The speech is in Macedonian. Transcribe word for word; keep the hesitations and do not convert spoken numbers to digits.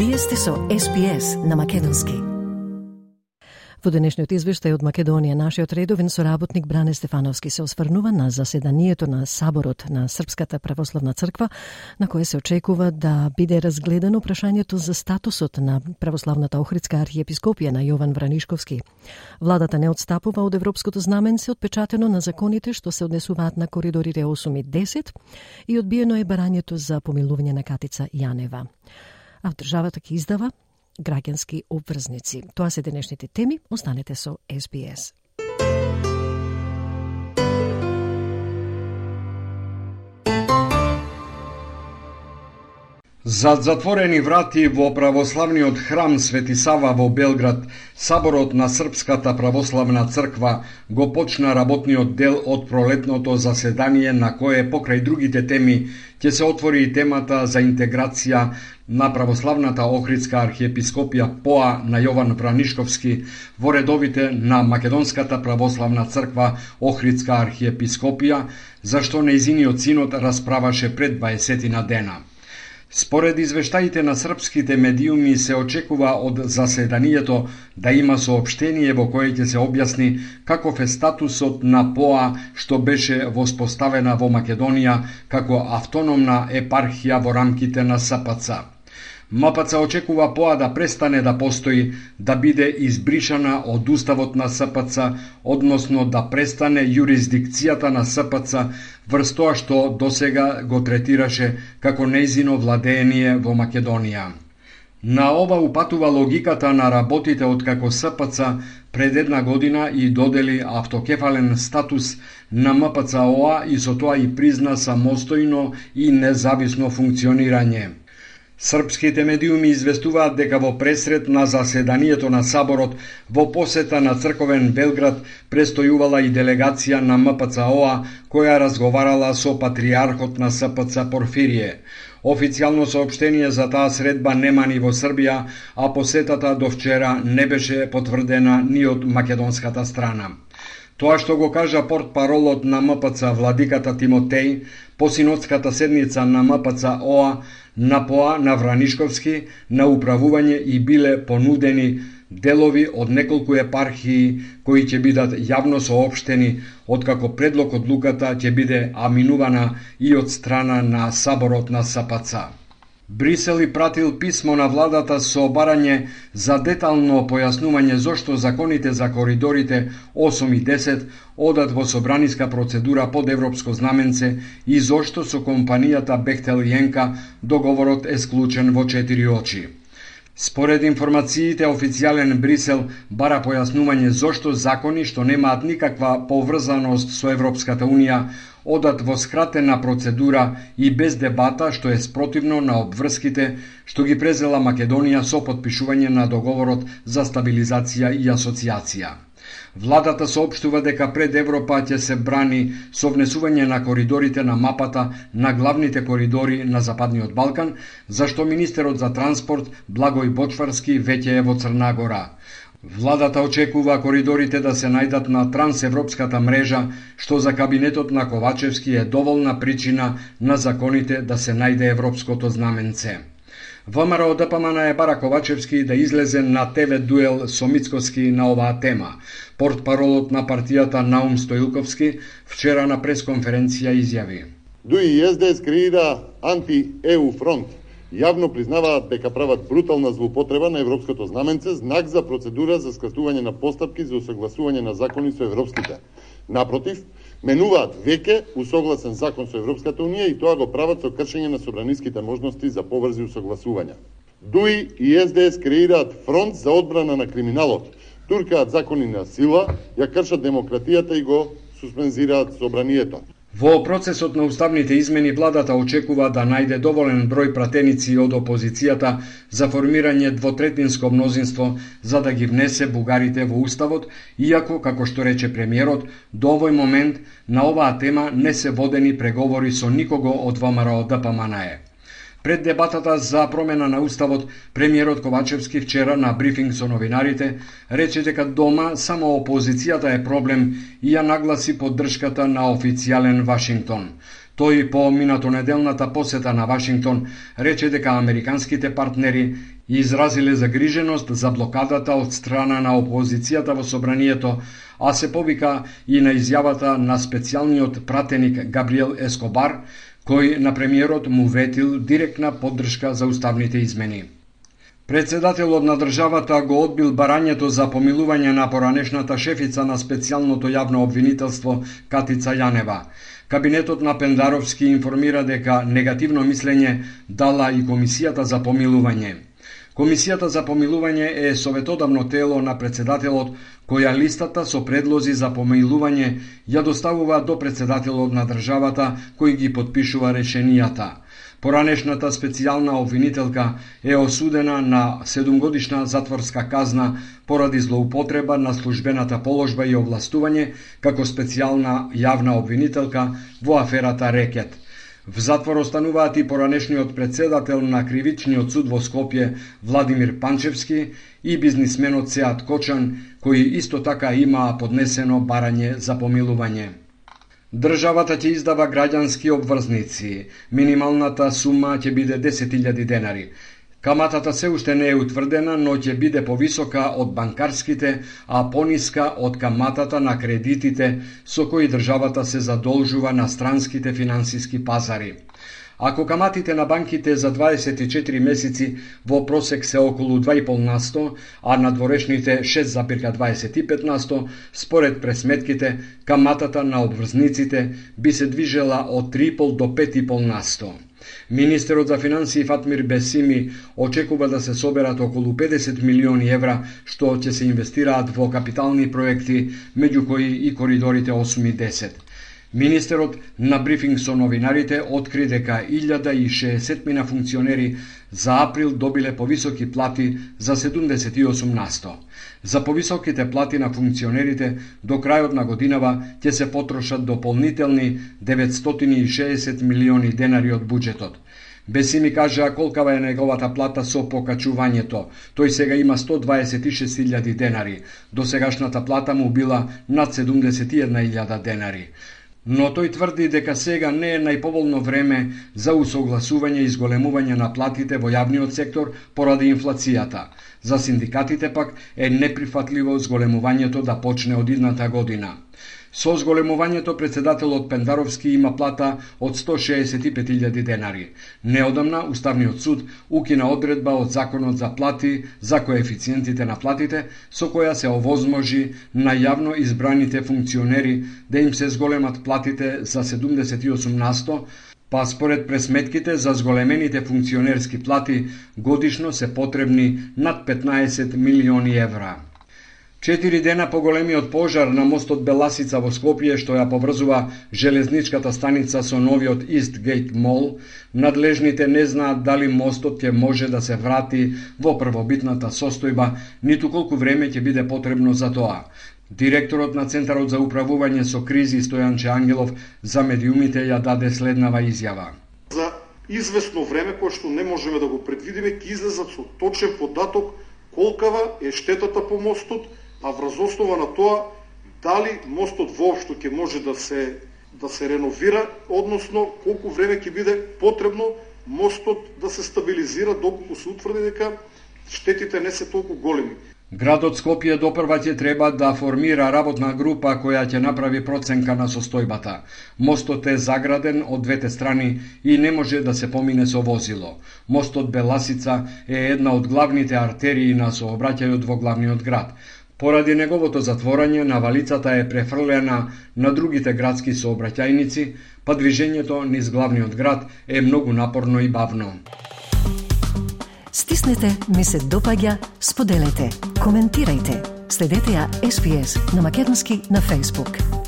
Вие сте со Ес Би Ес на македонски. Во денешниот извештај од Македонија, нашиот редовен соработник Бране Стефановски се осврнува на заседанието на Саборот на Српската православна црква, на кое се очекува да биде разгледано прашањето за статусот на православната Охридска архиепископија на Јован Вранишковски. Владата не отстапува од европското знаменце отпечатено на законите што се однесуваат на коридорите осум и десет и одбиено е барањето за помилување на Катица Јанева. А државата ќе издава граѓански обврзници. Тоа се денешните теми. Останете со Ес Би Ес. Зад затворени врати во православниот храм Свети Сава во Белград, Саборот на Српската православна црква го почна работниот дел од пролетното заседание на кое покрај другите теми ќе се отвори и темата за интеграција на православната Охридска архиепископија ПОА на Јован Вранишковски во редовите на Македонската православна црква Охридска архиепископија, зашто нејзиниот синод расправаше пред дваесет дена. Според извештаите на српските медиуми се очекува од заседанието да има соопштение во кое ќе се објасни каков е статусот на ПОА што беше воспоставена во Македонија како автономна епархија во рамките на Ес Пе Це. Ем Пе Це очекува ПОА да престане да постои, да биде избришана од уставот на Ес Пе Це, односно да престане јурисдикцијата на Ес Пе Це врз тоа што досега го третираше како нејзино владеение во Македонија. На ова упатува логиката на работите откако Ес Пе Це пред една година и додели автокефален статус на Ем Пе Це О А и со тоа и призна самостојно и независно функционирање. Српските медиуми известуваат дека во пресрет на заседанието на Саборот во посета на црковен Белград престојувала и делегација на Ем Пе Це О А која разговарала со патриархот на Ес Пе Це Порфирие. Официјално соопштение за таа средба нема ни во Србија, а посетата до вчера не беше потврдена ни од македонската страна. Тоа што го кажа портпаролот на Ем Пе Це владиката Тимотеј по синодската седница на Ем Пе Це О А на ПОА на Вранишковски на управување и биле понудени делови од неколку епархии кои ќе бидат јавно соопштени, откако предлог одлуката ќе биде аминувана и од страна на Саборот на Ес Пе Це. Брисел и пратил писмо на владата со барање за детално појаснување зошто законите за коридорите осум и десет одат во собраниска процедура под европско знаменце и зошто со компанијата Бехтел и Енка договорот е склучен во четири очи. Според информациите, официјален Брисел бара појаснување зошто закони што немаат никаква поврзаност со Европската Унија одат во скратена процедура и без дебата, што е спротивно на обврските што ги презела Македонија со потпишување на договорот за стабилизација и асоциација. Владата соопштува дека пред Европа ќе се брани со внесување на коридорите на мапата на главните коридори на Западниот Балкан, зашто министерот за транспорт Благој Бочварски веќе е во Црна Гора. Владата очекува коридорите да се најдат на трансевропската мрежа, што за кабинетот на Ковачевски е доволна причина на законите да се најде европското знаменце. ВМРО Д П М Н е бара Ковачевски да излезе на Те Ве дуел со Мицкоски на оваа тема. Портпаролот на партијата Наум Стоилковски вчера на пресконференција изјави: ДУИ и Ес Де Ес креира анти-Е У фронт. Јавно признаваат дека прават брутална злоупотреба на европското знаменце, знак за процедура за скратување на постапки за усогласување на закони со европските. Напротив, менуваат веќе усогласен закон со Европската Унија и тоа го прават со кршење на собраниските можности за побрзи усогласувања. ДУИ и Ес Де Ес креираат фронт за одбрана на криминалот, туркаат закони на сила, ја кршат демократијата и го суспензираат собранието. Во процесот на уставните измени владата очекува да најде доволен број пратеници од опозицијата за формирање двотретинско мнозинство за да ги внесе бугарите во уставот, иако, како што рече премиерот, до овој момент на оваа тема не се водени преговори со никого од ВМРО Д П М Н Е. Пред дебатата за промена на уставот, премиерот Ковачевски вчера на брифинг со новинарите рече дека дома само опозицијата е проблем и ја нагласи поддршката на официјален Вашингтон. Тој по минатонеделната посета на Вашингтон рече дека американските партнери изразиле загриженост за блокадата од страна на опозицијата во собранието, а се повика и на изјавата на специјалниот пратеник Габриел Ескобар, кој на премиерот му ветил директна поддршка за уставните измени. Председателот на државата го одбил барањето за помилување на поранешната шефица на специјалното јавно обвинителство Катица Јанева. Кабинетот на Пендаровски информира дека негативно мислење дала и Комисијата за помилување. Комисијата за помилување е советодавно тело на председателот, која листата со предлози за помилување ја доставува до председателот на државата, кој ги подпишува решенијата. Поранешната специјална обвинителка е осудена на седумгодишна затворска казна поради злоупотреба на службената положба и овластување како специјална јавна обвинителка во аферата Рекет. В затвор остануваат и поранешниот председател на Кривичниот суд во Скопје Владимир Панчевски и бизнисменот Сеат Кочан, кои исто така имаа поднесено барање за помилување. Државата ќе издава граѓански обврзници. Минималната сума ќе биде десет илјади денари. Каматата се уште не е утврдена, но ќе биде повисока од банкарските, а пониска од каматата на кредитите со кои државата се задолжува на странските финансиски пазари. Ако каматите на банките за дваесет и четири месеци во просек се околу два и пол на сто, а надворешните шест зарез дваесет и пет на сто, според пресметките, каматата на обврзниците би се движела од три и пол до пет и пол на сто. Министерот за финансии Фатмир Бесими очекува да се соберат околу педесет милиони евра, што ќе се инвестираат во капитални проекти, меѓу кои и коридорите осум и десет. Министерот на брифинг со новинарите откри дека илјада и шеесет мина функционери за април добиле повисоки плати за седумдесет и осум на сто. За повисоките плати на функционерите до крајот на годинава ќе се потрошат дополнителни деветстотини и шеесет милиони денари од буџетот. Бесими кажа колкава е неговата плата со покачувањето. Тој сега има сто дваесет и шест илјади денари. Досегашната плата му била над седумдесет и една илјада денари. Но тој тврди дека сега не е најповолно време за усогласување и зголемување на платите во јавниот сектор поради инфлацијата. За синдикатите пак е неприфатливо зголемувањето да почне од идната година. Со зголемувањето председателот Пендаровски има плата од сто шеесет и пет илјади денари. Неодамна Уставниот суд укина одредба од Законот за плати за коефициентите на платите, со која се овозможи на јавно избраните функционери да им се зголемат платите за седумдесет и осум на сто, па според пресметките за зголемените функционерски плати годишно се потребни над петнаесет милиони евра. Четири дена по големиот пожар на мостот Беласица во Скопје, што ја поврзува железничката станица со новиот Истгейт Мол, надлежните не знаат дали мостот ќе може да се врати во првобитната состојба, ниту колку време ќе биде потребно за тоа. Директорот на Центарот за управување со кризи Стојанче Ангелов за медиумите ја даде следнава изјава. За известно време, кое што не можеме да го предвидиме, ќе излезат со точен податок колкава е штетата по мостот, а врз основа на тоа дали мостот воопшто ќе може да се да се реновира, односно колку време ќе биде потребно мостот да се стабилизира доколку се утврди дека штетите не се толку големи. Градот Скопје допрва ќе треба да формира работна група која ќе направи проценка на состојбата. Мостот е заграден од двете страни и не може да се помине со возило. Мостот Беласица е една од главните артерии на сообраќајот во главниот град. Поради неговото затворање, навалицата е префрлена на другите градски сообраќајници, па движењето низ главниот град е многу напорно и бавно. Стиснете, ми се допаѓа, споделете, коментирајте. Следете ја Ес Би Ес на македонски на Facebook.